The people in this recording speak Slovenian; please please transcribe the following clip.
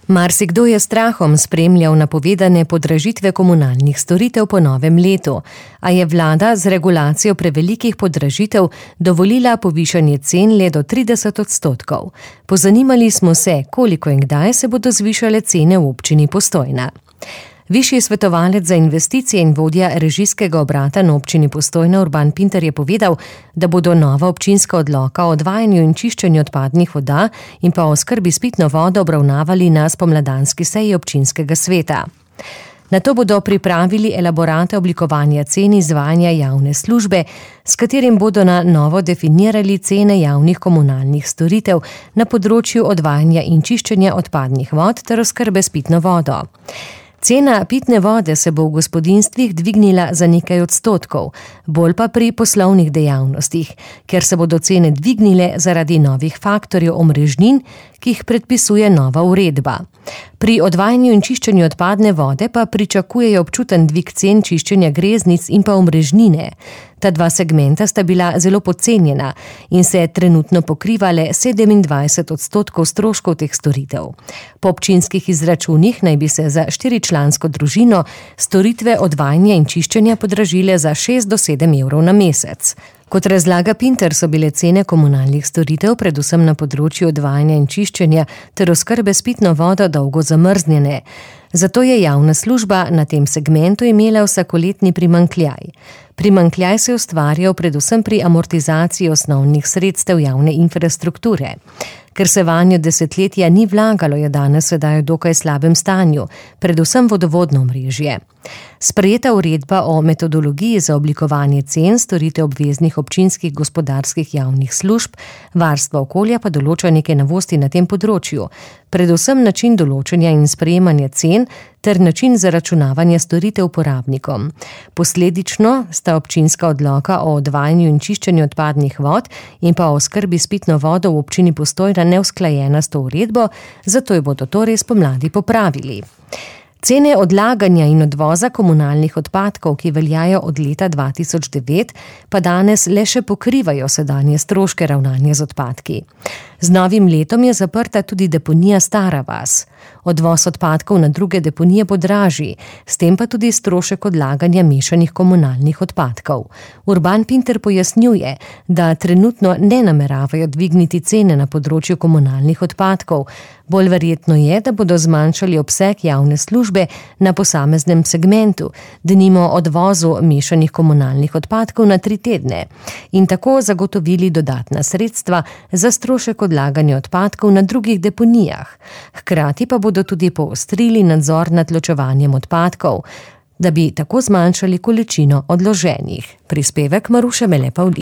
Marsikdo je strahom spremljal napovedane podražitve komunalnih storitev po novem letu, a je vlada z regulacijo prevelikih podražitev dovolila povišanje cen le do 30%. Pozanimali smo se, koliko in kdaj se bodo zvišale cene v občini Postojna. Višji svetovalec za investicije in vodja režijskega obrata na občini Postojna Urban Pintar je povedal, da bodo nova občinska odloka o odvajanju in čiščenju odpadnih voda in pa oskrbi s pitno vodo obravnavali na spomladanski seji občinskega sveta. Nato bodo pripravili elaborate oblikovanja cen izvajanja javne službe, s katerim bodo na novo definirali cene javnih komunalnih storitev na področju odvajanja in čiščenja odpadnih vod ter oskrbe s pitno vodo. Cena pitne vode se bo v gospodinjstvih dvignila za nekaj odstotkov, bolj pa pri poslovnih dejavnostih, ker se bodo cene dvignile zaradi novih faktorjev omrežnin, ki jih predpisuje nova uredba. Pri odvajanju in čiščenju odpadne vode pa pričakujejo občuten dvig cen čiščenja greznic in pa omrežnine. Ta dva segmenta sta bila zelo podcenjena in se trenutno pokrivale 27% stroškov teh storitev. Po občinskih izračunih naj bi se za 4-člansko družino storitve odvajanja in čiščenja podražile za 6 do 7 evrov na mesec. Kot razlaga Pintar, so bile cene komunalnih storitev, predvsem na področju odvajanja in čiščenja ter oskrbe s pitno vodo dolgo zamrznjene. Zato je javna služba na tem segmentu imela vsakoletni primanjkljaj. Primanjkljaj se je ustvarjal predvsem pri amortizaciji osnovnih sredstev javne infrastrukture. Ker se vanjo desetletja ni vlagalo, je danes sedaj v dokaj slabem stanju, predvsem vodovodno omrežje. Sprejeta uredba o metodologiji za oblikovanje cen storitev obveznih občinskih gospodarskih javnih služb, varstva okolja pa določa nekaj novosti na tem področju, predvsem način določanja in sprejemanja cen ter način zaračunavanja storitev uporabnikom. Posledično sta občinska odloka o odvajanju in čiščenju odpadnih vod in pa o oskrbi s pitno vodo v občini Postojna neusklajena s to uredbo, zato jo bodo torej spomladi popravili. Cene odlaganja in odvoza komunalnih odpadkov, ki veljajo od leta 2009, pa danes le še pokrivajo sedanje stroške ravnanja z odpadki. Z novim letom je zaprta tudi deponija Stara vas. Odvoz odpadkov na druge deponije bo dražji, s tem pa tudi strošek odlaganja mešanih komunalnih odpadkov. Urban Pintar pojasnjuje, da trenutno ne nameravajo dvigniti cene na področju komunalnih odpadkov. Bolj verjetno je, da bodo zmanjšali obseg javne službe na posameznem segmentu, denimo odvozu mešanih komunalnih odpadkov na 3 tedne in tako zagotovili dodatna sredstva za strošek odlaganja odpadkov na drugih deponijah. Hkrati pa bodo tudi poostrili nadzor nad ločevanjem odpadkov, da bi tako zmanjšali količino odloženih. Prispevek Maruše Mele Pavlin.